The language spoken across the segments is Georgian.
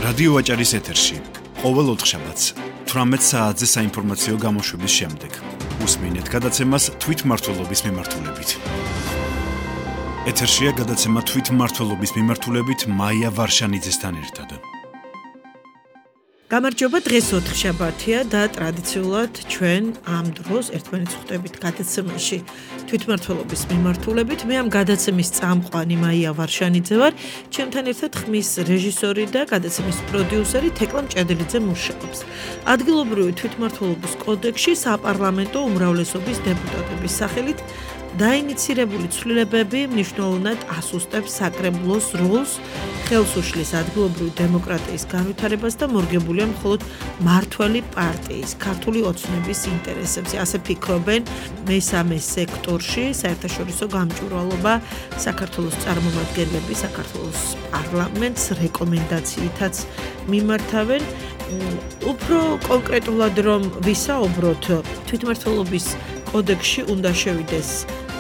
რადიო ვაჭარის ეთერში ყოველ ოთხშაბათს 18 საათზე საინფორმაციო გამოშვების შემდეგ უსმინეთ გადაცემას თვითმმართველობის მიმართულებით. ეთერშია გადაცემა თვითმმართველობის მიმართულებით მაია ვარშანიძესთან ერთად. გამარჯობა, დღეს ოთხშაბათია და ტრადიციულად ჩვენ ამ დროს ერთმანეთს ხვდებით გადაცემაში თვითმმართველობის მიმართულებით. მე ამ გადაცემის წამყვანი მაია ვარშანიძე ვარ, ჩემთან ერთად ხმის რეჟისორი და გადაცემის პროდიუსერი თეკლა მჭედლიძე მუშაობს. ადგილობრივი თვითმმართველობის კოდექსში საპარლამენტო უმრავლესობის დეპუტატების სახელით დაინიცირებული ცვლილებები მნიშვნელოვნად ასუსტებს საკრებულოს როლს, ხელს უშლის ადგილობრივი დემოკრატიის განვითარებას და მორგებულია მხოლოდ მმართველი პარტიის, ქართული ოცნების ინტერესებზე. ასე ფიქრობენ მესამე სექტორში საერთაშორისო გამჭვირვალობა, საქართველოს წარმომადგენლები, საქართველოს პარლამენტს რეკომენდაციითაც მიმართავენ. უფრო კონკრეტულად რომ ვისაუბროთ, თვითმმართველობის კოდექსში უნდა შევიდეს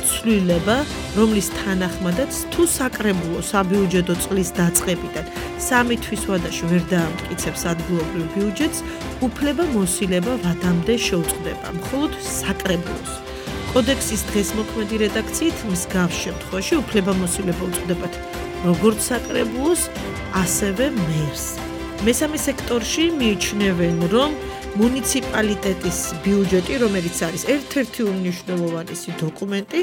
ცვლილება, რომლის თანახმადაც თუ საკრებულო საბიუჯეტო წლის დაწყებიდან 3 თვის ვადაში ვერ დაამტკიცებს ადგილობრივ ბიუჯეტს, უფლება მოსილება ვადამდე შეუწყდება, მხოლოდ საკრებულოს. კოდექსის დღესმოქმედი რედაქციით მსგავს შემთხვევაში უფლება მოსილება უწყდებათ როგორც საკრებულოს, ასევე მერს. მესამე სექტორში მიიჩნევენ, რომ მუნიციპალიტეტის ბიუჯეტი, რომელიც არის ერთ-ერთი უმნიშვნელოვანესი დოკუმენტი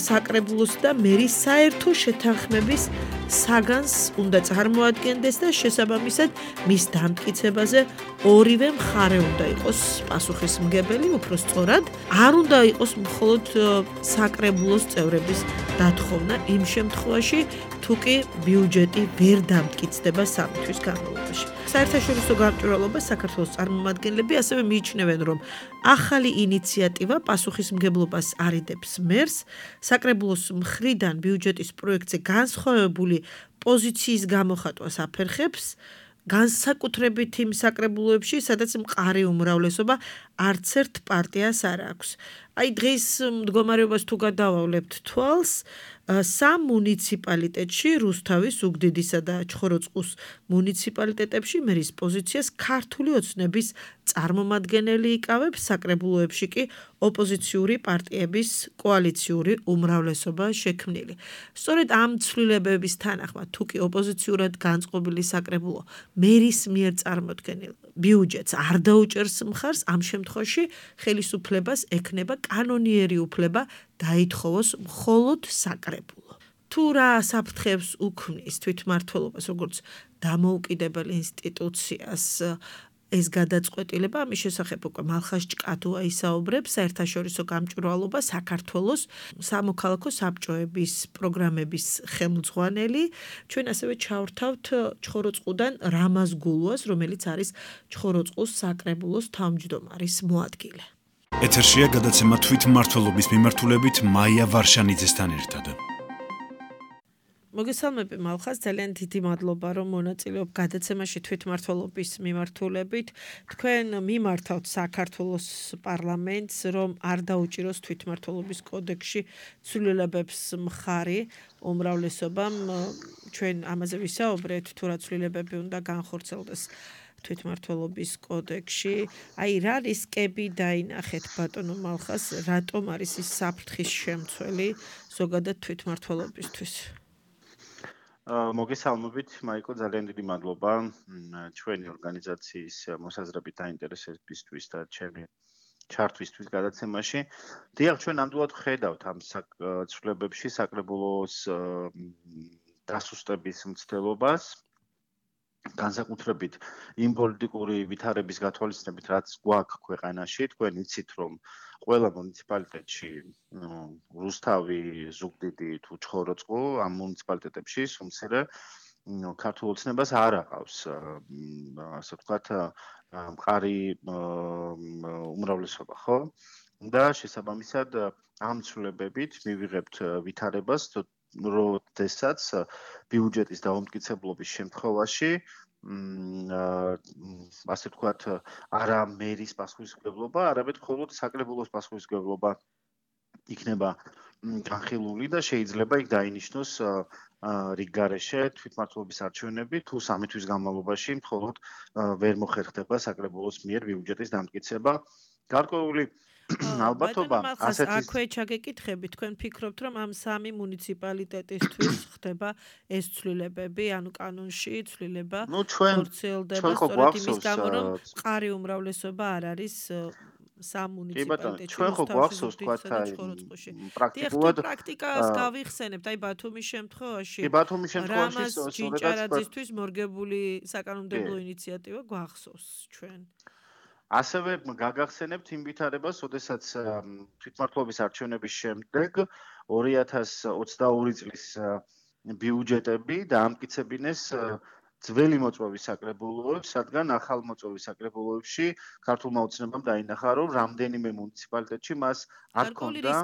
საკრებულოს და მერის საერთო შეთანხმების საგანს უნდა წარმოადგენდეს და შესაბამისად მის დამტკიცებაზე ორივე მხარე უნდა იყოს პასუხისმგებელი, უფრო სწორად, არ უნდა იყოს მხოლოდ საკრებულოს წევრების დათხოვნა იმ შემთხვევაში, თუ კი ბიუჯეტი ვერ დამტკიცდება 3 თვის განმავლობაში. საერთაშორისო გამჭვირვალობა საქართველოს წარმომადგენლები ასევე მიიჩნევენ, რომ ახალი ინიციატივა პასუხისმგებლობას არიდებს მერს, საკრებულოს მხრიდან ბიუჯეტის პროექტზე განსხვავებული პოზიციის გამოხატვას აფერხებს, განსაკუთრებით იმ საკრებულოებში, სადაც მყარი უმრავლესობა არც ერთ პარტიას არ აქვს. დღეს მდგომარეობას თუ გადავავლებთ თვალს, 3 მუნიციპალიტეტში, რუსთავის, ზუგდიდისა და ჩხოროწყუს მუნიციპალიტეტებში მერის პოზიციას ქართული ოცნების წარმომადგენელი იკავებს, საკრებულოებში კი ოპოზიციური პარტიების კოალიციური უმრავლესობა შექმნილი. სწორედ ამ ცვლილებების თანახმად, თუ კი ოპოზიციურად განწყობილი საკრებულო მერის მიერ წარმოქმნილ ბიუჯეტს არ დაუჭერს მხარს, ამ შემთხვევაში ხელისუფლებას ექნება კანონიერი უფლება დაითხოვოს მხოლოდ საკრებულო. თუ რა საფრთხეებს უქმნის თვითმმართველობას როგორც დამოუკიდებელ ინსტიტუციას ეს გადაწყვეტილება, ამის შესახებ უკვე მალხაზ ჭკათუა ისაუბრებს, საერთაშორისო გამჭვირვალობა საქართველოს სამოქალაქო საბჭოების პროგრამების ხელმძღვანელი. ჩვენ ასევე ჩავრთავთ ჩხოროწყუდან რამაზ გულუას, რომელიც არის ჩხოროწყუს საკრებულოს თავმჯდომარის მოადგილე. ეთერშია გადაცემა თვითმმართველობის მიმართულებით მაია ვარშანიძესთან ერთად. მოგესალმები მალხაზ, ძალიან დიდი მადლობა, რომ მონაწილეობ გადაცემაში თვითმმართველობის მიმართულებით. თქვენ მიმართავთ საქართველოს პარლამენტს, რომ არ დაუჭიროს თვითმმართველობის კოდექსში ცვლილებებს მხარი უმრავლესობამ. ჩვენ ამაზე ვისაუბრეთ, თუ რა ცვლილებები უნდა განხორციელდეს თვითმმართველობის კოდექსში. რა რისკები დაინახეთ ბატონო მალხაზ, რატომ არის ის საფრთხის შემცველი ზოგადად თვითმმართველობისთვის? მოგესალმებით, მაიკო, ძალიან დიდი მადლობა ჩვენი ორგანიზაციის მოსაზრებით დაინტერესებისთვის და ჩემი ჩართვისთვის გადაცემაში. დიახ, ჩვენ ნამდვილად ვხედავთ ამ ცვლილებებში საკრებულოს დასუსტების მცდელობას. განსაკუთრებით იმ პოლიტიკური ვითარების გათვალისწინებით, რაც გვაქვს ქვეყანაში, თქვენ იცით, რომ ყველა მუნიციპალიტეტში, რუსთავი, ზუგდიდი თუ ჩხოროწყუ, ამ მუნიციპალიტეტებში სუმცირე ქართულ ოცნებას არ აყავს, ასე ვთქვათ, მყარი უმრავლესობა, ხო? და შესაბამისად ამ ცვლილებებით მივიღებთ ვითარებას, როდესაც ბიუჯეტის დაუმტკიცებლობის შემთხვევაში ასე ვთქვათ, არა მერის პასუხისმგებლობა, არამედ მხოლოდ საკრებულოს პასუხისმგებლობა იქნება განხილული და შეიძლება იქ დაინიშნოს რიგგარეშე თვითმმართველობის არჩევნები თუ 3 თვის განმავლობაში მხოლოდ ვერ მოხერხდება საკრებულოს მიერ ბიუჯეტის დამტკიცება. გარკვეული ალბათობა ასეთი აქვე ჩაგეკითხები, თქვენ ფიქრობთ, რომ ამ 3 მუნიციპალიტეტისთვის ხდება ეს ცვლილებები, ანუ კანონში ცვლილება ხორციელდება სწორედ იმის გამო, რომ მყარი უმრავლესობა არ არის სამ მუნიციპალიტეტში. ჩვენ ხო გვახსოვს თქვა პრაქტიკულად პრაქტიკას გავიხსენებთ, აი ბათუმის შემთხვევაში. რამაზ ჯინჭარაძისთვის მორგებული საკანონმდებლო ინიციატივა გვახსოვს ჩვენ. ასევე გაგახსენებთ იმ ვითარებას, როდესაც თვითმმართველობის არჩევნების შემდეგ 2022 წლის ბიუჯეტები დაამტკიცებინეს ძველი მოწვევის საკრებულოებს, რადგან ახალ მოწვევის საკრებულოებში ქართულმა ოცნებამ დაინახა, რომ რამდენიმე მუნიციპალიტეტში მას არ ჰქონდა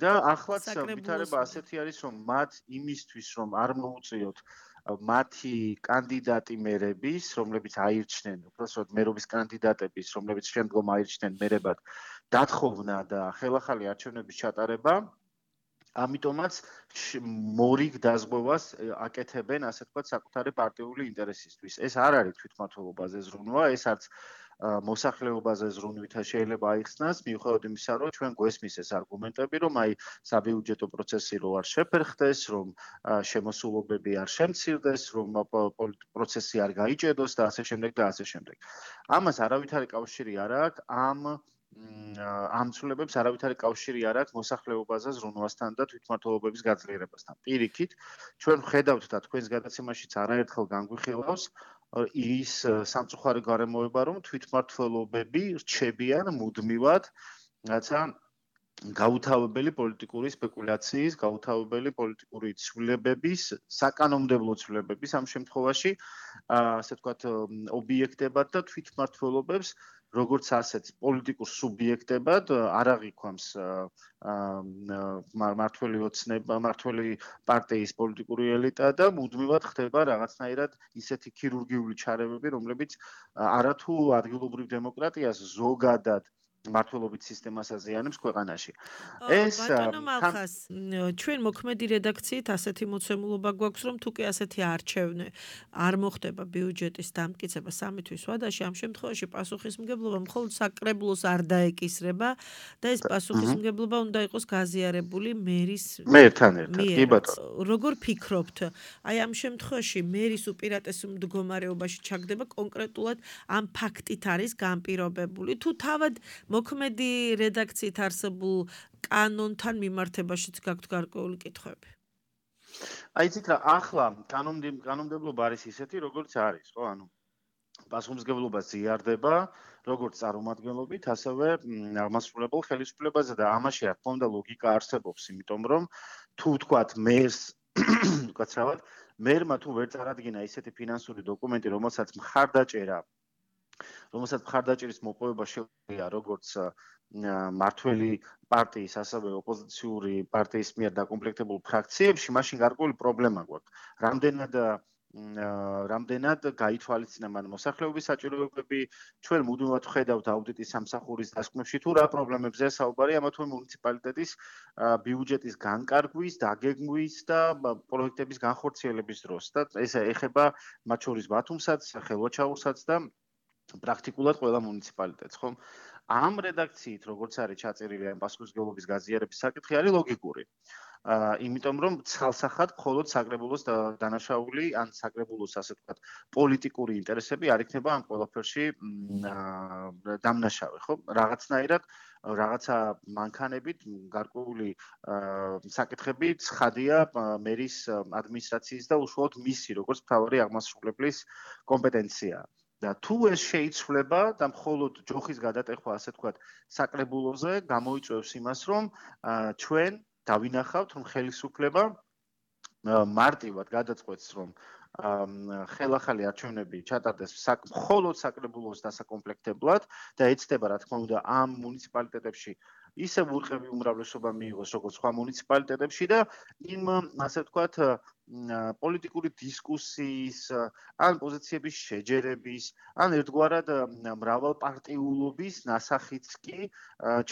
და ახლაც ვითარება ასეთი არის, რომ მათ იმისთვის, რომ არ მოუწიოთ მათი კანდიდატი მერების, რომლებიც აირჩნენ, უბრალოდ მერობის კანდიდატების, რომლებიც შემდგომ აირჩნენ მერებად, დათხოვნა და ხელახალი არჩევნების ჩატარება, ამიტომაც მორიგ დაზღვევას აკეთებენ, ასე ვთქვათ, საკუთარი პარტიული ინტერესისთვის. ეს არ არის თვითმმართველობაზე ზრუნვა, ეს არც მოსახლეობაზე ზრუნვითა შეიძლება აიხსნას, მიუხედავად იმისა, რომ ჩვენ გვესმის ეს არგუმენტები, რომ აი საბიუჯეტო პროცესი რო არ შეფერხდეს, რომ შემოსულობები არ შემცირდეს, რომ პროცესი არ გაიჭედოს და ასე შემდეგ და ასე შემდეგ. ამას არავითარი კავშირი არ აქვს ამ ცვლილებებს არავითარი კავშირი არ აქვს მოსახლეობაზე ზრუნვასთან და თვითმმართველობების გაძლიერებასთან. პირიქით, ჩვენ ვხედავთ და თქვენს გადაცემაშიც არაერთხელ განგვიხილავს ის სამწუხარი გარემოება, რომ თვითმმართველობები რჩებიან მუდმივად, რაცა გაუთავებელი პოლიტიკური სპეკულაციის, გაუთავებელი პოლიტიკური ცვლილებების, საკანონმდებლო ცვლილებების ამ შემთხვევაში, ასე ვთქვათ, ობიექტებად და თვითმმართველობებს როგორც ასეთ პოლიტიკურ სუბიექტებად არ აღიქვამს მართველი ოცნება, მართველი პარტიის პოლიტიკური ელიტა და მუდმივად ხდება რაღაცნაირად ისეთი ქირურგიული ჩარევები, რომლებიც არათუ ადგილობრივ დემოკრატიას ზოგადად მართლობით სისტემას აზიანებს ქვეყანაში. ეს ბატონო მალხას, ჩვენ მოქმედი რედაქციით ასეთი მოცემულობა გვაქვს, რომ თუკი ასეთი არჩევნე არ მოხდება ბიუჯეტის დამტკიცება 3 თვის ვადაში, ამ შემთხვევაში პასუხისმგებლობა მხოლოდ საკრებულოს არ დაეკისრება და ეს პასუხისმგებლობა უნდა იყოს გაზიარებული მერის მერთან ერთად. კი ბატონო. როგორ ფიქრობთ? აი ამ შემთხვევაში მერის უპირატეს მდგომარეობაში ჩაგდება კონკრეტულად ამ ფაქტით არის განპირობებული თუ თავად მოქმედი რედაქციით არსებულ კანონთან მიმართებაშიც გაქვთ გარკვეული კითხვები? აი იცით რა, ახლა კანონმდებლობა არის ისეთი, როგორც არის, ხო? ანუ პასუხისმგებლობა ზიარდება, როგორც წარმომადგენლობით, ასევე აღმასრულებელ ხელისუფლებაზე და ამაში რა თქმა უნდა ლოგიკა არსებობს, იმიტომ რომ თუ ვთქვათ მერს, უკაცრავად, მერმა თუ ვერ წარადგინა ისეთი ფინანსური დოკუმენტი, რომელსაც მხარდაჭერის მოპოვება შეუძლია როგორც მართველი პარტიის, ასევე ოპოზიციური პარტიის მიერ დაკომპლექტებულ ფრაქციებში, მაშინ გარკვეული პრობლემა გვაქვს. რამდენად გაითვალისწინა მან მოსახლეობის საჭიროებები, ჩვენ მუდმივად ვხედავთ აუდიტის სამსახურის დასკვნებში თუ რა პრობლემებზეა საუბარი ამა თუ მუნიციპალიტეტის ბიუჯეტის განკარგვის, დაგეგმვის და პროექტების განხორციელების დროს და ეს ეხება მათ შორის ბათუმსაც, ხელვაჩაურსაც და პრაქტიკულად ყველა მუნიციპალიტეტს, ხო? ამ რედაქციით, როგორც არის ჩაწერილი ამ პასუხისმგებლობის გაზიარების საკითხი არის ლოგიკური. იმიტომ რომ ცალსახად მხოლოდ საკრებულოს დანაშაული ან საკრებულოს ასე ვთქვათ პოლიტიკური ინტერესები არ იქნება ამ ყველაფერში დამნაშავე, ხო? რაღაცნაირად რაღაცა მანქანებით გარკვეული საკითხები ცხადია მერის ადმინისტრაციის და უშუალოდ მისი როგორც მთავარი აღმასრულებლის კომპეტენციაა. და თუ ეს შეიცვლება და მხოლოდ ჯოხის გადატეხვა, ასე ვთქვათ, საკრებულოზე გამოიწვევს იმას, რომ ჩვენ დავინახავთ, რომ ხელისუფლება მარტივად გადაწყვეტს, რომ ხელახალი არჩევნები ჩატარდეს მხოლოდ საკრებულოს დასაკომპლექტებლად და ეცდება, რა თქმა უნდა, ამ მუნიციპალიტეტებში ისე ვურყევი უმრავლესობა მიიღოს როგორც სხვა მუნიციპალიტეტებში და იმ ასე ვთქვათ პოლიტიკური დისკუსიის ან პოზიციების შეჯერების ან ერთგვარად მრავალპარტიულობის ნასახიც კი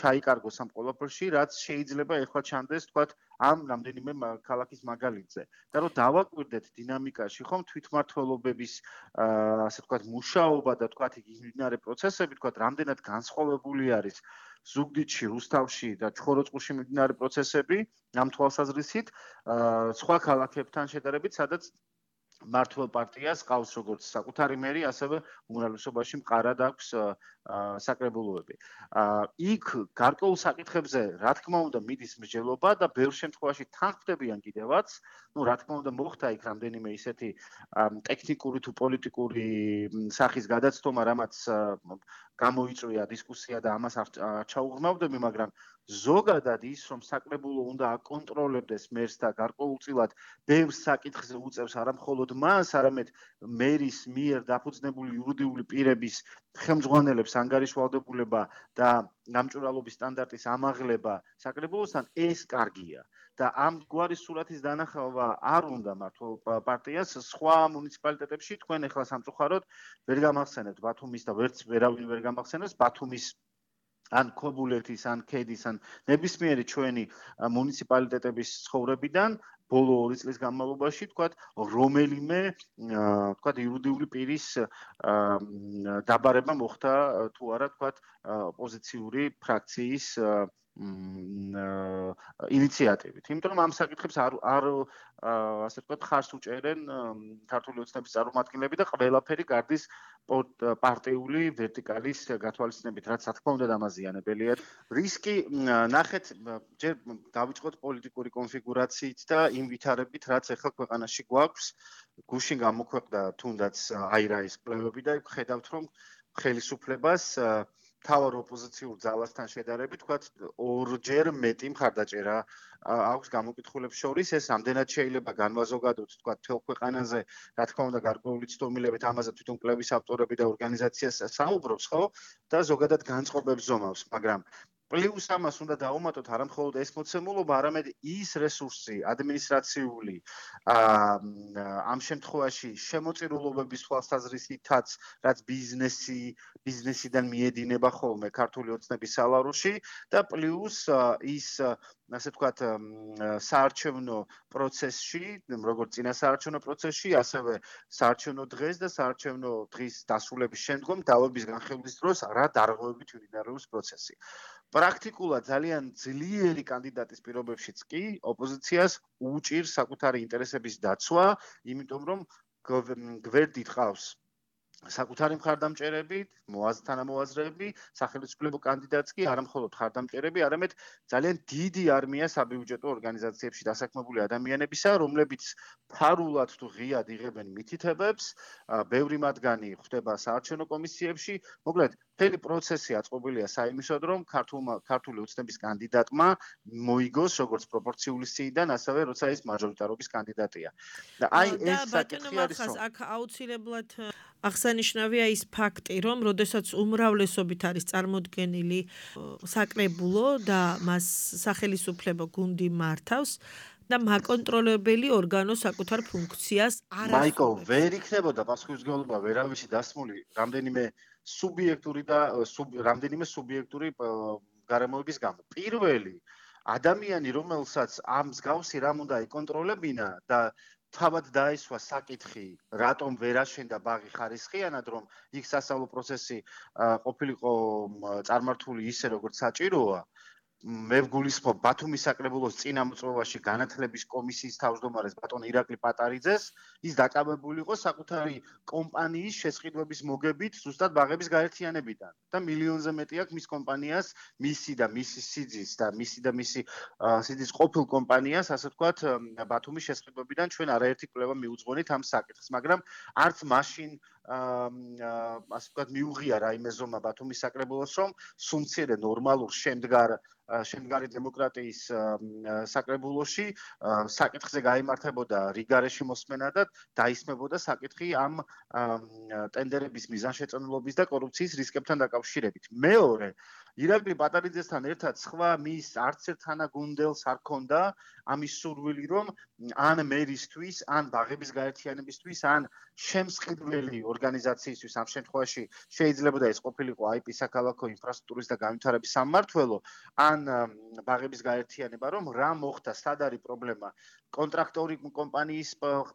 ჩაიკარგოს ამ ყველაფერში, რაც შეიძლება ეხლა ჩანდეს ვთქვათ ამ რამდენიმე ქალაქის მაგალითზე. და რომ დავაკვირდეთ დინამიკაში, ხომ თვითმმართველობების ასე ვთქვათ მუშაობა და ვთქვათ იგი მიმდინარე პროცესები, ვთქვათ რამდენად განსხვავებული არის ზუგდიდში, რუსთავში და ჩხოროწყუში მიმდინარე პროცესები ამ თვალსაზრისით, სხვა ქალაქებთან შედარებით, სადაც მართლ პარტიას ყავს როგორც საკუთარი მერი, ასევე უმრავლესობაში მყარად აქვს საკრებულოები. იქ გარკვეულ საკითხებზე, რა თქმა უნდა, მიდის მსჯელობა და ბევრ შემთხვევაში თანხმდებიან კიდევაც. Ну, რა თქმა უნდა, მოხდა იქ რამდენიმე ისეთი ტექნიკური თუ პოლიტიკური სახის გადაცდომა, რამაც გამოიწვია დისკუსია და ამას არ ჩაუღრმავდები, მაგრამ ზოგადად ის, რომ საკრებულო უნდა აკონტროლებდეს მერს და გარკვეულწილად ბევრ საკითხზე უწევს არა მხოლოდ მას, არამედ მერის მიერ დაფუძნებული იურიდიული პირების ხელმძღვანელებს ანგარიშვალდებულება და გამჭვირვალობის სტანდარტის ამაღლება საკრებულოსთან, ეს კარგია. და ამ გვარი სურათის დანახავა არ უნდა მართლ პარტიას სხვა მუნიციპალიტეტებში. თქვენ ახლა სამწუხაროდ ვერ გამახსენებთ ბათუმის და ვერავინ ვერ გამახსენებს ბათუმის ან ქობულეთის, ან ქედის, ან ნებისმიერი ჩვენი მუნიციპალიტეტების ცხოვრებიდან ბოლო 2 წლის განმავლობაში, ვთქვათ, რომელიმე, ვთქვათ, იურიდიული პირის დაბარება მოხდა თუ არა, ვთქვათ, ოპოზიციური ფრაქციის ინიციატივით. იმიტომ რომ ამ საკითხებს არ ასე ვთქვათ, ხარს უჭერენ ქართული ოცნების წარმომადგენლები და ყველაფერი გარდის პარტიული ვერტიკალის გათვალისწინებით, რაც რა თქმა უნდა დამაზიანებელია. რისკი ნახეთ, ჯერ დავიწყოთ პოლიტიკური კონფიგურაციით და იმ ვითარებით, რაც ახლა ქვეყანაში გვაქვს. გუშინ გამოქვეყნდა თუნდაც აირაის კვლევები და ხედავთ, რომ ხელისუფლებას თავარ ოპოზიციურ ძალასთან შედარებით, ვთქვათ, ორჯერ მეტი მხარდაჭერა აქვს გამოკითხულებს შორის. ეს ამდენად შეიძლება განვაზოგადოთ, ვთქვათ, მთელ ქვეყანაზე, რა თქმა უნდა, გარკვეული ცდომილებით ამაზე თვითონ კვლევის ავტორები და ორგანიზაციას საუბრობს, ხო? და ზოგადად განწყობებს ზომავს, მაგრამ პლუს ამას უნდა დაუმატოთ არა მხოლოდ ეს მოცემულობა, არამედ ის რესურსი, ადმინისტრაციული, ამ შემთხვევაში შემოწირულობების თვალსაზრისითაც, რაც ბიზნესიდან მიედინება ხოლმე ქართული ოცნების სალაროში და პლუს ის ასე ვთქვათ, საარჩევნო პროცესში, როგორც წინა საარჩევნო პროცესში, ასევე საარჩევნო დღეს და საარჩევნო დღის დასრულების შემდგომ დავების განხილვის დროს რა დარღვევებით მიმდინარეობს პროცესი. პრაქტიკულად ძალიან ძლიერი კანდიდატის პირობებშიც კი ოპოზიციას უჭირს საკუთარი ინტერესების დაცვა, იმიტომ რომ გვერდით ყავს საკუთარი მხარდამჭერები, თანამოაზრეები, სახელმწიფო კანდიდატს კი არა მხოლოდ მხარდამჭერები, არამედ ძალიან დიდი არმია საბიუჯეტო ორგანიზაციებში დასაქმებული ადამიანებისა, რომლებიც ფარულად თუ ღიად იღებენ მითითებებს, ბევრი მათგანი ხვდება საარჩევნო კომისიებში. მოკლედ, მთელი პროცესი აწყობილია საიმისოდ, რომ ქართული ოცნების კანდიდატმა მოიგოს როგორც პროპორციული სიიდან, ასევე როცა ის მაჟორიტარობის კანდიდატია. და აი ეს საკითხი არის, რომ აქ აუცილებლად აღსანიშნავია ის ფაქტი, რომ როდესაც უმრავლესობით არის წარმოდგენილი საკრებულო და მას სახელისუფლებო გუნდი მართავს და მაკონტროლებელი ორგანო საკუთარ ფუნქციას არ ასრულებს. მაიკო, ვერ იქნებოდა პასუხისმგებლობა ვერავისი დასმული რამდენიმე სუბიექტური გარემოების გამო. პირველი ადამიანი, რომელსაც ამ მსგავსი რამ უნდა იკონტროლებინა და თავად დაისვა საკითხი, რატომ ვერ აშენდა ბაღი ხარისხიანად, რომ იქ სასწავლო პროცესი ყოფილიყო წარმართული ისე, როგორც საჭიროა. მე ვგულისხმობ ბათუმის საკრებულოს წინა მოწვევაში განათლების კომისიის თავმჯდომარეს ბატონ ირაკლი პატარიძეს, ის დაკავებული იყო საკუთარი კომპანიის შესყიდვების მოგებით ზუსტად ბაღების გაერთიანებიდან და მილიონზე მეტი აქვს მის კომპანიას, მისი სიძის ყოფილ კომპანიას, ასე ვთქვათ, ბათუმის შესყიდვებიდან ჩვენ არაერთი კვლევა მიუძღვენით ამ საკითხს, მაგრამ არც მაშინ ასე ვთქვათ მიუღია რაიმე ზომა ბათუმის საკრებულოს, რომ სუმცირე ნორმალურ შემდგარი დემოკრატიის საკრებულოში საკითხზე გაიმართებოდა რიგარეში მოსმენა და დაისმებოდა საკითხი ამ ტენდერების მიზანშეწონილობის და კორუფციის რისკებთან დაკავშირებით. მეორე, ირაკლი პატარიძესთან ერთად სხვა მის არც ერთ თანაგუნდელს არ ქონდა ამის სურვილი, რომ ან მერისთვის, ან ბაღების გაერთიანებისთვის, ან შემსყიდველი ორგანიზაციისთვის ამ შემთხვევაში შეიძლება და ეს ყოფილიყო IP საქალაქო ინფრასტრუქტურის და განვითარების სამმართველო, ან ბაღების გაერთიანება, რომ რა მოხდა, სად არის პრობლემა, კონტრაქტორი კომპანიის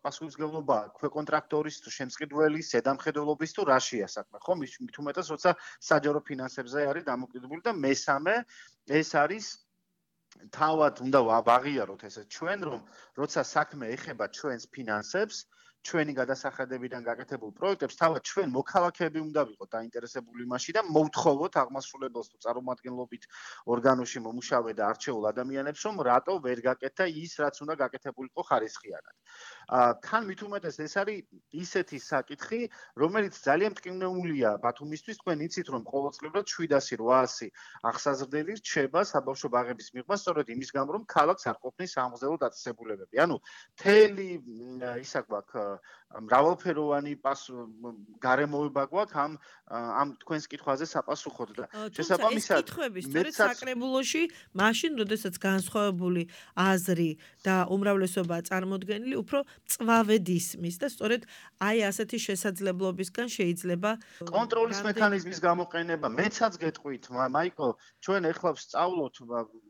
პასუხისმგებლობა, ქვეკონტრაქტორის თუ შემსყიდველის, ზედამხედველობის თუ რაშია საქმე, ხო? მით უმეტეს, როცა საჯარო ფინანსებზე არის დამოკიდებული და მესამე ეს არის თავად უნდა ვაღიაროთ ესე ჩვენ რომ როცა საქმე ეხება ჩვენს ფინანსებს ჩვენი გადასახადებიდან გაკეთებულ პროექტებს თავად ჩვენ მოქალაქეები უნდა ვიყოთ დაინტერესებული იმაში და მოვთხოვოთ აღმასრულებელს თუ წარმომადგენლობით ორგანოში მომუშავე და არჩეულ ადამიანებს რომ რატო ვერ გაკეთა ის რაც უნდა გაკეთებულიყო ხარისხიანად. თან მით უმეტეს ეს არის ისეთი საკითხი რომელიც ძალიან მტკივნეულია ბათუმისთვის თქვენ იცით რომ ყოველწლიურად 700-800 აღსაზრდელი რჩება საბავშვო ბაღების მიღება სწორედ იმის გამო რომ ქალაქს არ ყოფნის სამღვდელო დაწესებულებები. ანუ მთელი ისა გვაქვს მრავალფეროვანი გარემოება გვაქვს ამ თქვენს კითხვაზე საპასუხოდ და შესაბამისად ეს კითხვები სწორედ საკრებულოში მაშინ როდესაც განსხვავებული აზრი და უმრავლესობა წარმოდგენილი უფრო მწვავედ ისმის და სწორედ აი ასეთი შესაძლებლობისგან შეიძლება კონტროლის მექანიზმის გამოყენება მეცაც გეტყვით მაიკო ჩვენ ეხლა ვსწავლოთ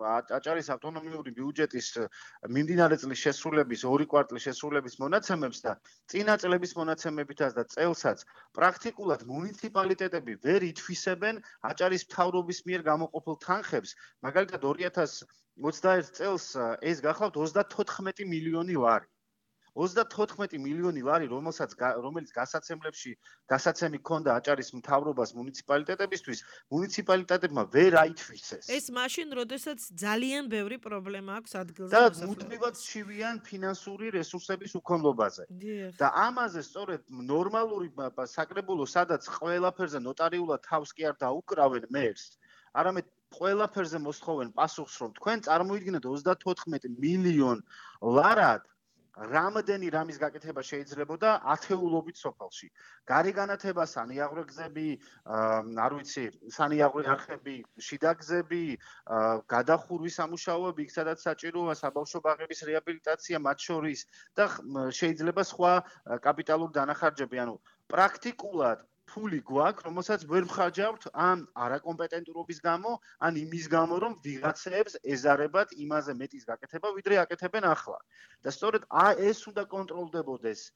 აჭარის ავტონომიური ბიუჯეტის მიმდინარე წლის შესრულების 2 კვარტლის შესრულების მონაცემებს და წინა წლების მონაცემებითაც და წელსაც პრაქტიკულად მუნიციპალიტეტები ვერ ითვისებენ აჭარის მთავრობის მიერ გამოყოფილ თანხებს. მაგალითად 2021 წელს ეს გახლავთ 34 მილიონი ლარი. 34 მილიონი ლარი, რომელიც გასაცემი ჰქონდა აჭარის მთავრობას მუნიციპალიტეტებისთვის, მუნიციპალიტეტებმა ვერ აითვისეს. ეს მაშინ, როდესაც ძალიან ბევრი პრობლემა აქვს ადგილზე და მუდმივად შევიან ფინანსური რესურსების უქონლობაზე. და ამაზე სწორედ ნორმალური საკრებულო, სადაც ყველაფერზე ნოტარიულად თავს კი არ დაუკრავენ მერს, არამედ ყველაფერზე მოსთხოვენ პასუხს, რომ თქვენ წარმოიდგინეთ 34 მილიონ ლარად რამდენი რამის გაკეთება შეიძლებოდა ათეულობით სოფელში. გარეგანათება, სანიაღვრე გზები, არ ვიცი, სანიაღვრე არხები, შიდა გზები, გადახურვის სამუშაოები, იქ სადაც საჭიროა საბავშვო ბაღების რეაბილიტაცია მათ შორის და შეიძლება სხვა კაპიტალური დანახარჯები, ანუ პრაქტიკულად ფული გვაქვს, რომელსაც ვერ მხარჯავთ ან არაკომპეტენტურობის გამო, ან იმის გამო, რომ ვიღაცებს ეზარებათ იმაზე მეტის გაკეთება, ვიდრე აკეთებენ ახლა. და სწორედ ეს უნდა კონტროლდებოდეს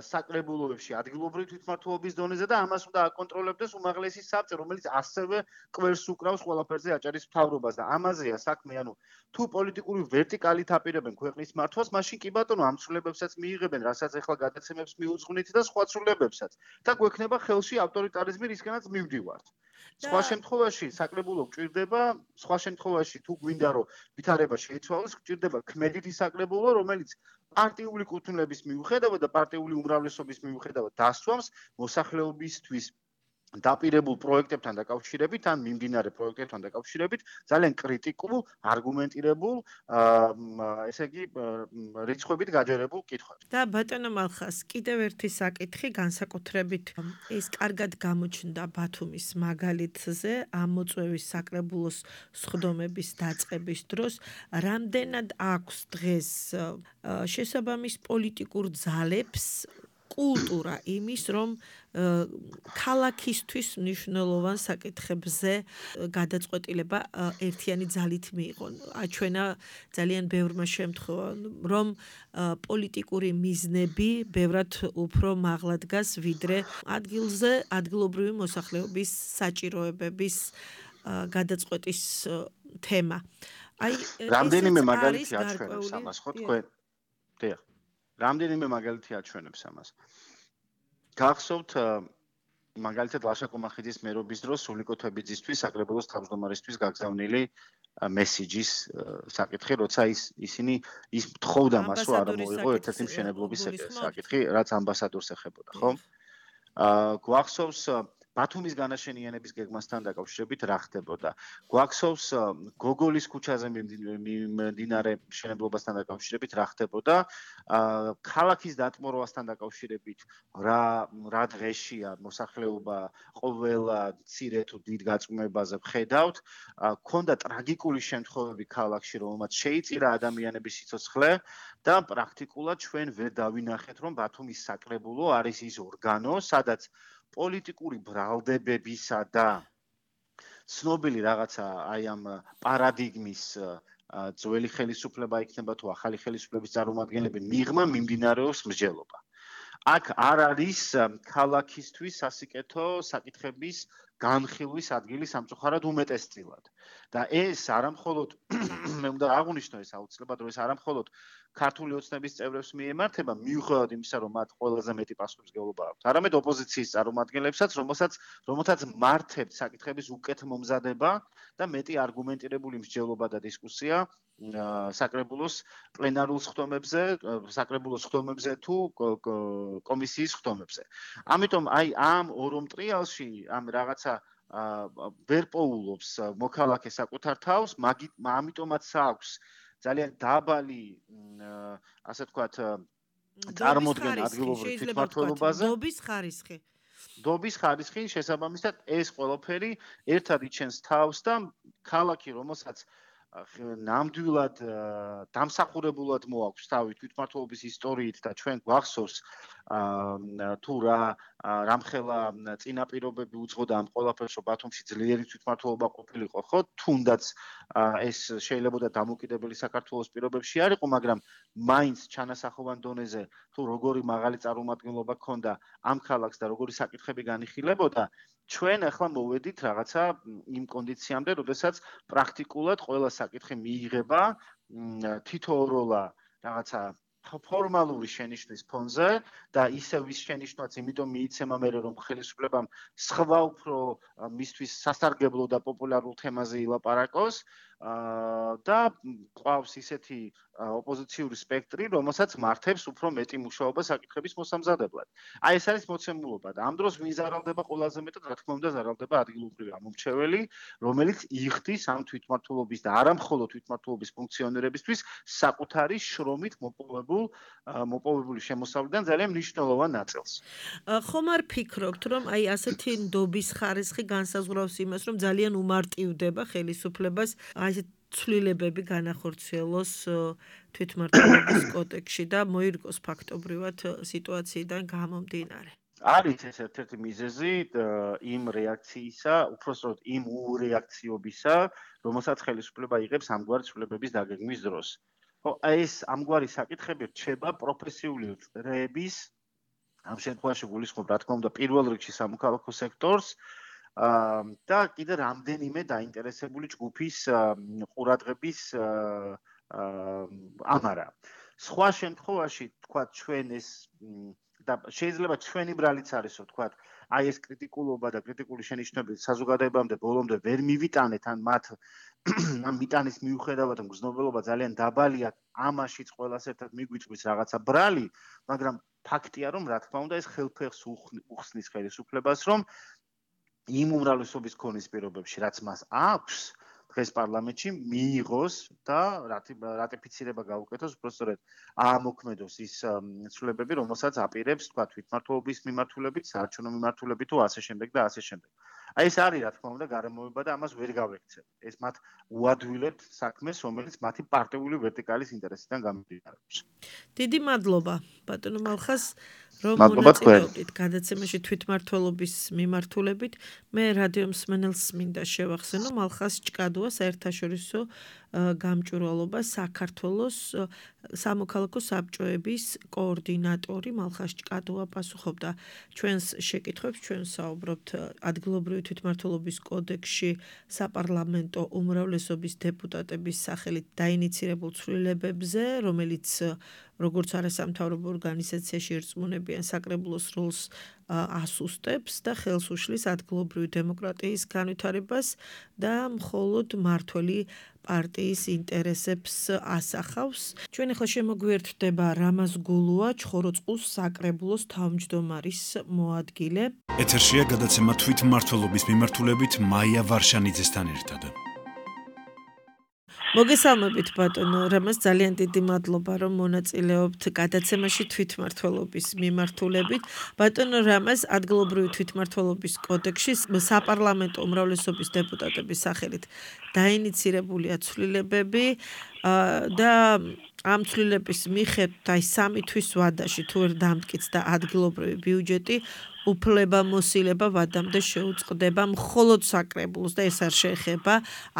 საკრებულოებში ადგილობრივი თვითმმართველობის დონეზე და ამას უნდა აკონტროლებდეს უმაღლესი საბჭო, რომელიც ასევე კვერს უკრავს ყველაფერზე აჭარის მთავრობას და ამაზეა საქმე, ანუ თუ პოლიტიკური ვერტიკალით აპირებენ ქვეყნის მართვას, მაშინ კი ბატონო ამ ცვლილებებსაც მიიღებენ, რასაც ახლა გადაცემებს მიუძღვნით და სხვა ცვლილებებსაც. და გვექნება ხელში ავტორიტარიზმი, რისკენაც მივდივართ. სხვა შემთხვევაში საკრებულო გჭირდება, სხვა შემთხვევაში თუ გვინდა რომ ვითარება შეიცვალოს, გჭირდება ქმედითი საკრებულო, რომელიც პარტიული კუთვნილების მიუხედავად და პარტიული უმრავლესობის მიუხედავად დასვამს მოსახლეობისთვის დაპირებულ პროექტებთან დაკავშირებით ან მიმდინარე პროექტებთან დაკავშირებით ძალიან კრიტიკულ, არგუმენტირებულ, ესე იგი, რიცხვებით გაჯერებულ კითხვებს. და ბატონო მალხას, კიდევ ერთი საკითხი განსაკუთრებით ეს კარგად გამოჩნდა ბათუმის მაგალითზე, ამოწვევის საკრებულოს სხდომების დაწყების დროს, რამდენად აქვს დღეს შესაბამის პოლიტიკურ ძალებს კულტურა იმის, რომ ქალაქისთვის მნიშვნელოვან საკითხებზე გადაწყვეტილება ერთიანი ძალით მიიღონ. აჩვენა ძალიან ბევრმა შემთხვევამ, რომ პოლიტიკური მიზნები ბევრად უფრო მაღლა დგას, ვიდრე ადგილზე ადგილობრივი მოსახლეობის საჭიროებების გადაწყვეტის თემა. აი, რამდენიმე მაგალითი აჩვენებს ამას, ხო თქვენ? დიახ. რამდენიმე მაგალითი აჩვენებს ამას. გახსოვთ მაგალითად ლაშა-კომახიძის მერობის დროს სულიკო თვებიძისთვის საკრებულოს თავმჯდომარისთვის გაგზავნილი მესიჯის საკითხი, როცა ისინი თხოვდა მას, რომ არ მოიღო ერთ-ერთი მშენებლობის საკითხი, რაც ამბასადორს ეხებოდა, ხო? გვახსოვს ბათუმის განაშენიანების გეგმასთან დაკავშირებით რა ხდებოდა. გვახსოვს გოგოლის ქუჩაზე მიმდინარე მშენებლობასთან დაკავშირებით რა ხდებოდა. ქალაქის დატმორვასთან დაკავშირებით რა დღეშია მოსახლეობა ყველა მცირე თუ დიდ გაწმებაზე ვხედავთ. ქონდა ტრაგიკული შემთხვევები ქალაქში, რომელმაც შეიწირა ადამიანების სიცოცხლე და პრაქტიკულად ჩვენ ვერ დავინახეთ, რომ ბათუმის საკრებულო არის ის ორგანო, სადაც პოლიტიკური ბრალდებებისა და ცნობილი რაღაცა აი ამ პარადიგმის ძველი ხელისუფლება იქნება თუ ახალი ხელისუფლების წარმომადგენლები მიღმა მიმდინარეობს მსჯელობა. აქ არ არის ქალაქისთვის სასიკეთო საკითხების განხილვის ადგილი სამწუხაროდ უმეტესწილად. და ეს არამხოლოდ მე უნდა აღვნიშნო ეს აუცილებლად, რომ ეს არამხოლოდ ქართული ოცნების წევრებს მიემართება, მიუხედავად იმისა, რომ მათ ყველაზე მეტი პასუხისმგებლობა აქვთ, არამედ ოპოზიციის წარმომადგენლებსაც, რომელთაც მართებთ საკითხების უკეთ მომზადება და მეტი არგუმენტირებული მსჯელობა და დისკუსია საკრებულოს პლენარულ ხდომებზე, საკრებულოს ხდომებზე თუ კომისიის ხდომებზე. ამიტომ აი ამ ორ ტრიალში ამ რაღაცა ვერ პოულობს მოქალაქე საკუთარ თავს, ამიტომაც აქვს ძალიან დაბალი, ასე ვთქვათ, წარმოდგენა ადგილობრივ თვითმმართველობაზე. დობის ხარისხი შესაბამისად ეს ყველაფერი ერთად იჩენს თავს და ქალაქი, რომელსაც ნამდვილად დამსახურებულად მოაქვს თავი თვითმმართველობის ისტორიით და ჩვენ გვახსოვს თუ რამხელა წინაპირობები უძღოდა ამ ყველაფერს, რომ ბათუმში ძლიერი თვითმმართველობა ყოფილიყო, ხო? თუნდაც ეს შეიძლება დამოუკიდებელი საქართველოს პირობებში არ იყო, მაგრამ მაინც ჩანასახოვან დონეზე თუ როგორი მაღალი წარმომადგენლობა ჰქონდა ამ ქალაქს და როგორი საკითხები განიხილებოდა, ჩვენ ახლა მოვედით რაღაცა იმ კონდიციამდე, როდესაც პრაქტიკულად ყველა საკითხი მიიღება თითოეულა რაღაცა ფორმალური შენიშვნის ფონზე და ისევ ის შენიშვნაც იმიტომ მიიცემა მე რომ ხელისუფლებამ სხვა უფრო მისთვის სასარგებლო და პოპულარულ თემაზე ილაპარაკოს და ყავს ისეთი ოპოზიციური სპექტრი, რომელსაც მართებს უფრო მეტი მუშაობა საკითხების მოსამზადებლად. აი ეს არის მოცემულობა და ამ დროს ვინ ზარალდება ყველაზე მეტად, რა თქმა უნდა, ზარალდება ადგილობრივი ამომრჩეველი, რომელიც იხდის ამ თვითმმართველობის და არამხოლოდ თვითმმართველობის ფუნქციონერებისთვის საკუთარი შრომით მოპოვებული შემოსავლიდან ძალიან მნიშვნელოვან ნაწილს. ხომ არ ფიქრობთ, რომ აი ასეთი ნდობის ხარისხი განსაზღვრავს იმას, რომ ძალიან უმარტივდება ხელისუფლებას აი ცვლილებები განახორციელოს თვითმმართველობის კოდექსში და მოირგოს ფაქტობრივად სიტუაციიდან გამომდინარე. არის ეს ერთ-ერთი მიზეზი იმ რეაქციისა, უпростоროდ იმ ურეაქციობისა, რომელსაც ხელისუფლება იღებს ამგვარი ცვლილებების დაგეგმვის დროს. ხო, ეს ამგვარი საკითხები რჩება პროფესიული წრეების ამ შემთხვევაში გულისხმობ, რა თქმა უნდა, პირველ რიგში სამოქალაქო სექტორს და კიდე რამდენიმე დაინტერესებული ჯგუფის ყურადღების ამარა. სხვა შემთხვევაში, თქვა ჩვენ ეს და შეიძლება ჩვენი ბრალიც არისო, თქვა, აი ეს კრიტიკულობა და კრიტიკული შენიშვნები საზოგადოებამდე ბოლომდე ვერ მივიტანეთ, ან მათ ამ მიტანის მიუხედავად მგრძნობელობა ძალიან დაბალია, ამაშიც ყველას ერთად მიგვიწვის რაღაცა ბრალი, მაგრამ ფაქტია, რომ რა თქმა უნდა ეს ხელფეხს უხსნის ხელისუფლებას, რომ იმ უმრავლესობის ქონის პირობებში, რაც მას აქვს, დღეს პარლამენტში მიიღოს და რატიფიცირება გაუკეთოს, უბრალოდ აამოქმედოს ის ცვლილებები, რომელსაც აპირებს, თქვა, თვითმმართველობის მიმართულებით, საარჩევნო მიმართულებით თუ ასე შემდეგ და ასე შემდეგ. აი ეს არის, რა თქმა უნდა, გარემოება და ამას ვერ გავექცევ. ეს მათ უადვილებთ საქმეს, რომელიც მათი პარტიული ვერტიკალის ინტერესიდან გამომდინარეობს. დიდი მადლობა, ბატონო მალხას, რომ მონაწილეობდით გადაცემაში თვითმმართველობის მიმართულებით. მე რადიო მსმენელს მინდა შევახსენო მალხას ჭკადუა საერთაშორისო გამჭვირვალობა საქართველოს სამოქალაქო საბჭოების კოორდინატორი მალხას ჭკადუა პასუხობდა ჩვენს შეკითხვებს, ჩვენ საუბრობთ ადგილობრივი თვითმმართველობის კოდექსში საპარლამენტო უმრავლესობის დეპუტატების სახელით დაინიცირებულ ცვლილებებზე, რომელიც როგორც არასამთავრობო ორგანიზაციაში ერწმუნებიან საკრებულოს როლს ასუსტებს და ხელს უშლის ადგილობრივი დემოკრატიის განვითარებას და მხოლოდ მმართველი პარტიის ინტერესებს ასახავს. ჩვენ ახლა შემოგვიერთდება რამაზ გულუა, ჩხოროწყუს საკრებულოს თავმჯდომარის მოადგილე. ეთერშია გადაცემა თვითმმართველობის მიმართულებით მაია ვარშანიძესთან ერთად. მოგესალმებით ბატონო რამაზ, ძალიან დიდი მადლობა რომ მონაწილეობთ გადაცემაში თვითმმართველობის მიმართულებით. ბატონო რამაზ, ადგილობრივი თვითმმართველობის კოდექსში საპარლამენტო უმრავლესობის დეპუტატების სახელით დაინიცირებულია ცვლილებები და ამ ცვლილების მიხედვით აი 3 თვის ვადაში თუ ვერ დამტკიცდა ადგილობრივი ბიუჯეტი უფლებამოსილება ვადამდე შეუწყდება მხოლოდ საკრებულოს და ეს არ შეეხება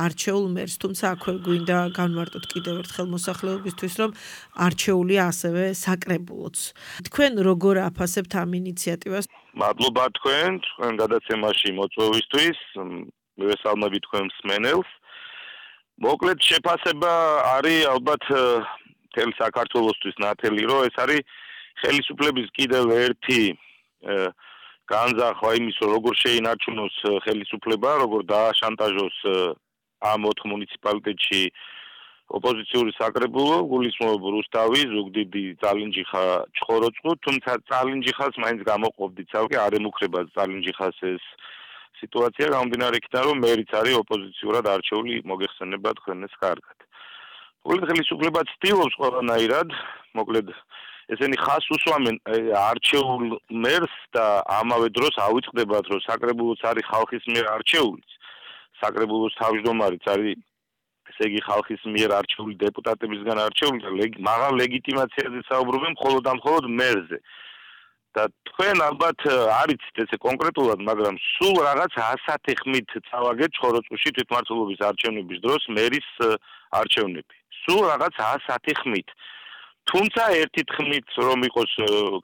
არჩეულ მერს, თუმცა აქვე გვინდა განვარტოთ კიდევ ერთხელ მოსახლეობისთვის, რომ არჩეულია ასევე საკრებულოც. თქვენ როგორ აფასებთ ამ ინიციატივას? მადლობა თქვენ გადაცემაში მოწვევისთვის, მივესალმებით თქვენ მსმენელს. მოკლედ შეფასება არის ალბათ მთელი საქართველოსთვის ნათელი, რომ ეს არის ხელისუფლების კიდევ ერთი განზრახვა იმის, რომ როგორ შეინარჩუნოს ხელისუფლება, როგორ დააშანტაჟოს ამ 4 მუნიციპალიტეტში ოპოზიციური საკრებულო, გულისხმობ რუსთავი, ზუგდიდი, წალინჯიხა, ჩხოროწყუ, თუმცა წალინჯიხას მაინც გამოყოფდით ცალკე, არ ემუქრება წალინჯიხას ეს სიტუაცია, გამომდინარე იქიდან, რომ მერიც არის ოპოზიციურად არჩეული, მოგეხსენება თქვენ ეს კარგად. მოკლედ ხელისუფლება ცდილობს ყველანაირად, მოკლედ ესენი ხას უსვამენ არჩეულ მერს და ამავე დროს ავიწყდებათ, რომ საკრებულოც არის ხალხის მიერ არჩეული. საკრებულოს თავმჯდომარიც არის, ესე იგი ხალხის მიერ არჩეული დეპუტატებისგან არჩეული და მაღალ ლეგიტიმაციაზე საუბრობენ მხოლოდ და მხოლოდ მერზე. და თქვენ ალბათ არიცით ესე კონკრეტულად, მაგრამ სულ რაღაც 100 ხმით წავაგეთ ჩხოროწყუში თვითმმართველობის არჩევნების დროს მერის არჩევნები. სულ რაღაც 100 ხმით. თუმცა ერთი ხმით რომ იყოს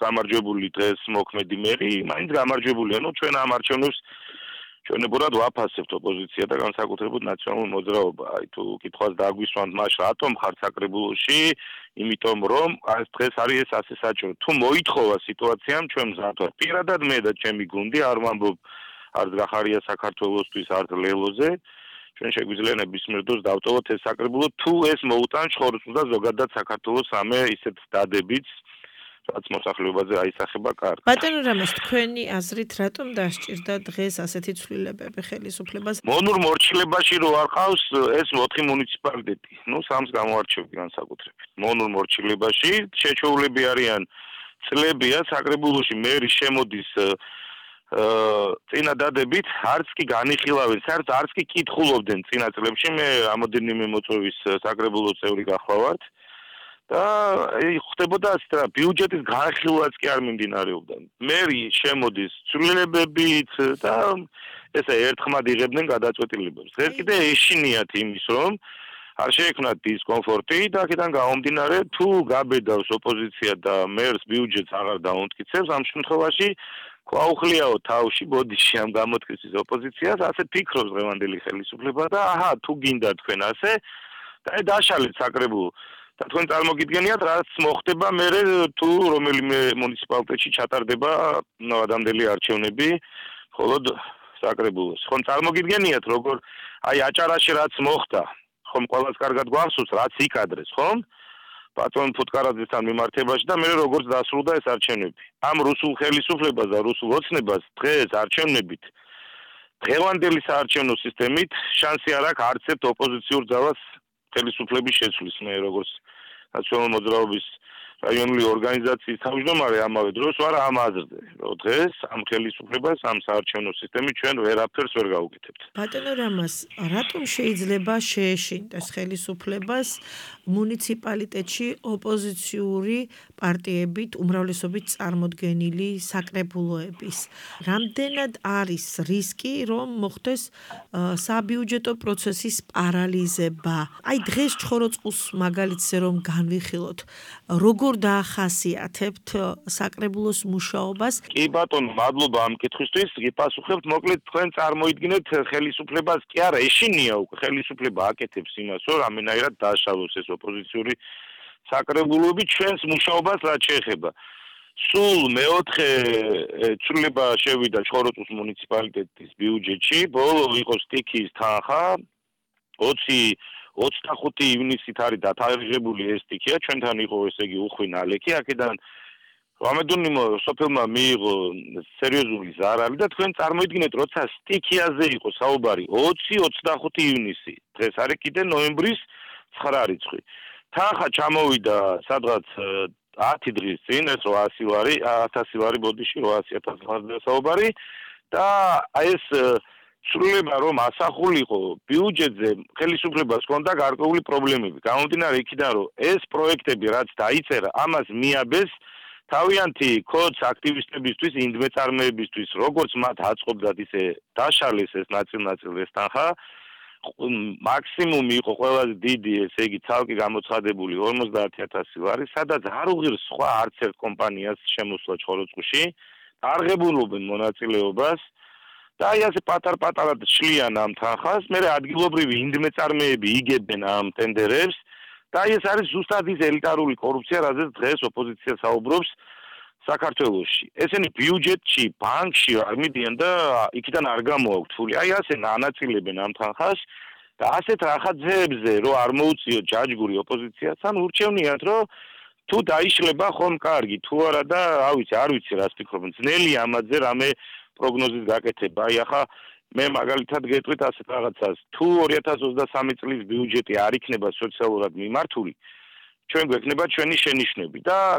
გამარჯვებული დღეს მოქმედი მერი, მაინც გამარჯვებულია. ნუ ჩვენ ამ არჩევნებს ჩვენებურად ვაფასებთ ოპოზიცია და განსაკუთრებით ნაციონალურ მოძრაობა. აი თუ კითხვას დაგვისვამთ მას რატომ ხარ საკრებულოში, იმიტომ რომ ეს დღეს არის ეს ასე საჭირო. თუ მოითხოვა სიტუაციამ ჩვენ მზად ვართ. პირადად მე და ჩემი გუნდი არ ვამბობ არც გახარია საქართველოსთვის, არც ლელოზე. ჩვენ შეგვიძლია ნებისმიერ დროს დავტოვოთ ეს საკრებულო, თუ ეს მოუტან ჩხოროწყუს და ზოგადად საქართველოს ამე ისეთ დადებით, რაც მოსახლეობაზე აისახება კარგ. ბატონო რამაზ, თქვენი აზრით რატომ დასჭირდა დღეს ასეთი ცვლილებები ხელისუფლებას? მონურ მორჩილებაში რო არ ყავს ეს 4 მუნიციპალიტეტი. ნუ 3-ს გამოარჩევი განსაკუთრებით. მონურ მორჩილებაში შეჩოულები არიან წლებია საკრებულოში მერი შემოდის წინადადებით, არც კი განიხილავენ, არც კი კითხულობდნენ წინა წლებში. მე რამოდენიმე მოწვევის საკრებულო წევრი გახლავართ. და ხდებოდა ასე რა ბიუჯეტის განხილვაც კი არ მიმდინარეობდა. მერი შემოდის ცვლილებებით და ესე ერთხმად იღებდნენ გადაწყვეტილებებს. დღეს კიდე ეშინიათ იმის, რომ არ შეექმნათ დისკომფორტი და აქედან გამომდინარე თუ გაბედავს ოპოზიცია და მერს ბიუჯეტს აღარ დაუმტკიცებს, ამ შემთხვევაში ქვაუხლიაო თავში ბოდიში ამ გამოთქმის ოპოზიციას, ასე ფიქრობს დღევანდელი ხელისუფლება და აჰა თუ გინდა თქვენ ასე და დაშალეთ საკრებულო. და თქვენ წარმოგიდგენიათ რაც მოხდება მერე თუ რომელიმე მუნიციპალიტეტში ჩატარდება ადამიანელი არჩევნები მხოლოდ საკრებულოს. ხომ წარმოგიდგენიათ როგორ აი აჭარაში რაც მოხდა, ხომ ყველას კარგად გვახსოვს რაც იკადრეს, ხომ? ბატონ ფუტკარაძესთან მიმართებაში და მე როგორც დასრულდა ეს არჩევნები. ამ რუსულ ხელისუფლებას და რუსულ ოცნებას დღეს არჩევნებით დღევანდელი საარჩევნო სისტემით შანსი არ აქვს არც ერთ ოპოზიციურ ძალას ხელისუფლების შეცვლის. მე როგორც ნაციონალური მოძრაობის რაიონული ორგანიზაციის თავმჯდომარე ამავე დროს ვარ ამ აზრზე, რომ დღეს ამ ხელისუფლებას ამ საარჩევნო სისტემით ჩვენ ვერაფერს ვერ გავუკეთებთ. ბატონო რამაზ, რატომ შეიძლება შეეშინდეს ხელისუფლებას მუნიციპალიტეტში ოპოზიციური პარტიებით უმრავლესობით წარმოდგენილი საკრებულოების? რამდენად არის რისკი, რომ მოხდეს საბიუჯეტო პროცესის პარალიზება? აი დღეს ჩხოროწყუს მაგალითზე რომ განვიხილოთ, როგორ დაახასიათებთ საკრებულოს მუშაობას? კი ბატონო, მადლობა ამ კითხვისთვის. გიპასუხებთ, მოკლედ თქვენ წარმოიდგინეთ ხელისუფლებას კი არა ეშინია უკვე ხელისუფლება აკეთებს იმას, რომ რამენაირად დააშალოს ეს ოპოზიციური საკრებულოები ჩვენს მუშაობას რაც შეეხება. სულ მეოთხე ცვლილება შევიდა ჩხოროწყუს მუნიციპალიტეტის ბიუჯეტში, ბოლო იყო სტიქიის თანხა 25 ივნისით არის დათარიღებული ეს სტიქია, ჩვენთან იყო ესე იგი უხვი ნალექი, აქედან რამედონიმ სოფელმა მიიღო სერიოზული ზარალი და თქვენ წარმოიდგინეთ, როცა სტიქიაზე იყო საუბარი 20-25 ივნისი, დღეს არის კიდე ნოემბრის 9 რიცხვი. თანხა ჩამოვიდა სადღაც 10 დღის წინ, ეს 800 ლარი, 1000 ლარი ბოდიში 800.000 ლარზე საუბარი და ეს სრულება რომ ასახულიყო ბიუჯეტზე ხელისუფლებას ჰქონდა გარკვეული პრობლემები. გამომდინარე იქიდან რომ ეს პროექტები რაც დაიწერა, ამას მიაბეს თავიანთი კოდს აქტივისტებისთვის, ინდმეწარმეებისთვის, როგორც მათ აწყობდათ, ისე დაშალეს ეს ნაწილ-ნაწილ ეს თანხა. მაქსიმუმი იყო ყველაზე დიდი, ესე იგი ცალკე გამოცხადებული 50.000 ლარი, სადაც არ უღირს სხვა არც ერთ კომპანიას შემოსვლა ჩხოროწყუში, არღებულობენ მონაწილეობას და აი ასე პატარ-პატარად შლიან ამ თანხას, მერე ადგილობრივი ინდმეწარმეები იგებენ ამ ტენდერებს და აი ეს არის ზუსტად ის ელიტარული კორუფცია, რაზეც დღეს ოპოზიცია საუბრობს საქართველოში. ესენი ბიუჯეტში, ბანკში არ მიდიან და იქიდან არ გამოაქვთ ფული. აი ასე ანაწილებენ ამ თანხას და ასეთ რახაძეებზე რომ არ მოუწიო ჯაჯგური ოპოზიციას, ან ურჩევნიათ რომ თუ დაიშლება ხომ კარგი, თუ არა და არ ვიცი რას ფიქრობენ. ძნელია ამაზე რამე პროგნოზის გაკეთება. აი ახლა მე მაგალითად გეტყვით ასეთ რაღაცას, თუ 2023 წლის ბიუჯეტი არ იქნება სოციალურად მიმართული, ჩვენ გვექნება ჩვენი შენიშვნები და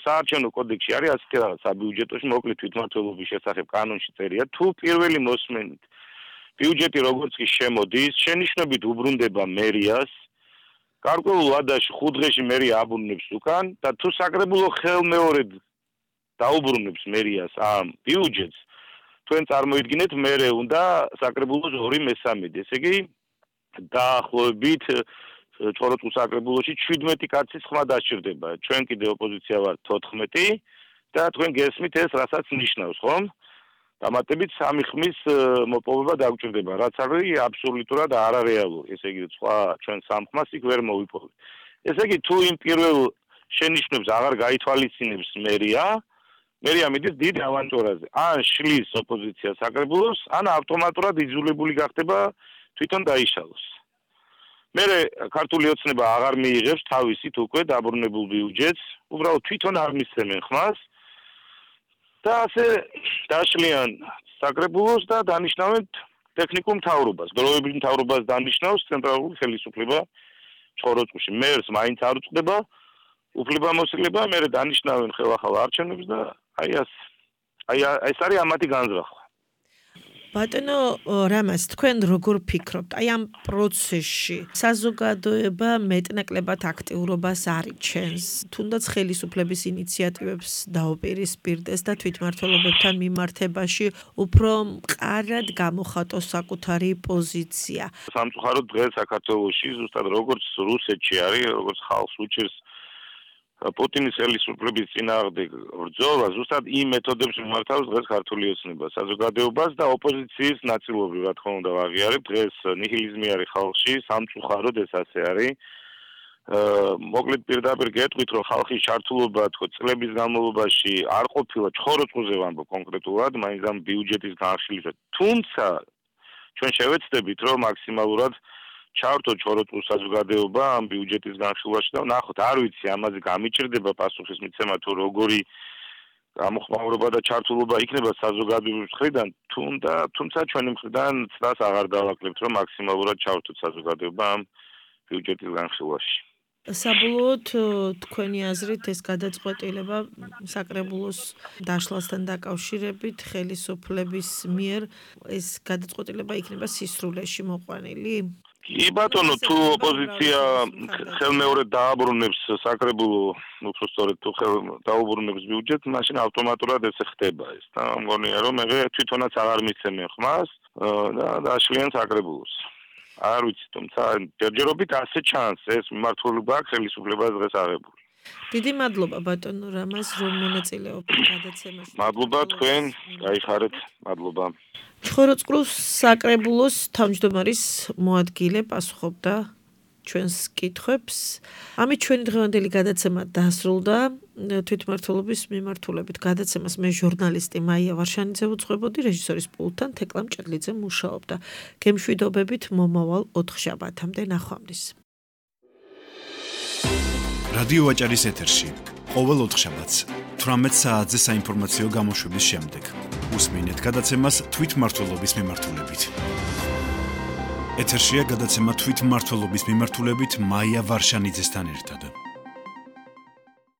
საარჩევნო კოდექსში არის ასეთი რაღაც საბიუჯეტოში მოკლედ თვითმმართველობის შესახებ კანონში წერია, თუ პირველი მოსმენით ბიუჯეტი როგორც კი შემოდის, შენიშვნებით უბრუნდება მერიას, გარკვეულ ვადაში 5 დღეში მერია აბრუნებს უკან და თუ საკრებულო ხელმეორედ დაუბრუნებს მერიას ამ ბიუჯეტს, თქვენ წარმოიდგინეთ, მერე უნდა საკრებულოს 2/3, ესე იგი დაახლოებით ჩხოროწყუს საკრებულოში 17 კაცის ხმა დასჭირდება. ჩვენ კიდე ოპოზიცია ვართ 14 და თქვენ გესმით ეს რასაც ნიშნავს, ხომ? დამატებით 3 ხმის მოპოვება დაგჭირდება, რაც არის აბსოლუტურად არარეალური. ესე იგი სხვა ჩვენ 3 ხმას იქ ვერ მოვიპოვებთ. ესე იგი თუ იმ პირველ შენიშვნებს აღარ გაითვალისწინებს მერია მიდის დიდ ავანტურაზე. ან შლის ოპოზიცია საკრებულოს, ან ავტომატურად იძულებული გახდება თვითონ დაიშალოს. მერე ქართული ოცნება აღარ მიიღებს თავისით უკვე დაბრუნებულ ბიუჯეტს, უბრალოდ თვითონ არ მისცემენ ხმას და ასე დაშლიან საკრებულოს და დანიშნავენ ტექნიკურ მთავრობას. დროებითი მთავრობას დანიშნავს ცენტრალური ხელისუფლება ჩხოროწყუში. მერს მაინც არ უწყდება უფლებამოსილება, მერე დანიშნავენ ხელახალ არჩევნებს და აი ეს არის ამათი განზრახვა. ბატონო რამაზ, თქვენ როგორ ფიქრობთ? აი ამ პროცესში საზოგადოება მეტნაკლებად აქტიურობას არიჩენს, თუნდაც ხელისუფლების ინიციატივებს დაუპირისპირდეს და თვითმმართველობებთან მიმართებაში უფრო მყარად გამოხატოს საკუთარი პოზიცია. სამწუხაროდ დღეს საქართველოში ზუსტად როგორც რუსეთში არის, როგორც ხალხს უჭირს პუტინის ხელისუფლების წინააღმდეგ ბრძოლა, ზუსტად იმ მეთოდებს მიმართავს დღეს ქართული ოცნება საზოგადოებას და ოპოზიციის ნაწილობრივ, რა თქმა უნდა, აღიარებ დღეს ნიჰილიზმი არის ხალხში, სამწუხაროდ ეს ასე არის. მოკლედ პირდაპირ გეტყვით, რომ ხალხის ჩართულობა თქო წლების განმავლობაში არ ყოფილა ჩხოროწყუზე ვამბობ კონკრეტულად, მაინც ამ ბიუჯეტის განხილვით. თუმცა ჩვენ შევეცდებით, რომ მაქსიმალურად ჩავთო ჩხოროწყუს საზოგადოება ამ ბიუჯეტის განხილვაში და ნახოთ, არ ვიცი ამაზე გამიჭირდება პასუხის მიცემა თუ როგორი გამოხმაურება და ჩართულობა იქნება საზოგადოების მხრიდან, თუმცა ჩვენი მხრიდან ცდას აღარ დავაკლებთ, რომ მაქსიმალურად ჩავთოთ საზოგადოება ამ ბიუჯეტის განხილვაში. საბოლოოდ თქვენი აზრით ეს გადაწყვეტილება საკრებულოს დაშლასთან დაკავშირებით ხელისუფლების მიერ ეს გადაწყვეტილება იქნება სისრულეში მოყვანილი? კი ბატონო, თუ ოპოზიცია ხელმეორედ დააბრუნებს საკრებულო, უფრო სწორედ თუ დაუბრუნებს ბიუჯეტს, მაშინ ავტომატურად ეს ხდება ეს და მგონია რომ მე თვითონაც აღარ მიცემენ ხმას და დაშლიან საკრებულოს. არ ვიცი, თუმცა ჯერჯერობით ასე ჩანს ეს მიმართულება აქვს ხელისუფლებას დღეს აღებული. დიდი მადლობა ბატონო რამაზ, რომ მონაწილეობთ გადაცემაში. მადლობა თქვენ, გაიხარეთ, მადლობა. ჩხოროწყუს საკრებულოს თავმჯდომარის მოადგილე პასუხობდა ჩვენს კითხვებს. ამით ჩვენი დღევანდელი გადაცემა დასრულდა. თვითმმართველობის მიმართულებით გადაცემას მე ჟურნალისტი მაია ვარშანიძე ვუძღვებოდი, რეჟისორის პულტთან თეკლა მჭედლიძე მუშაობდა. გემშვიდობებით მომავალ 4 შაბათამდე ნახვამდის. რადიო ვაჭარის ეთერში ყოველ 4 შაბათს 18 საათზე საინფორმაციო გამოშვების შემდეგ უსმინეთ გადაცემას თვითმმართველობის მიმართულებით. ეთერშია გადაცემა თვითმმართველობის მიმართულებით მაია ვარშანიძესთან ერთად.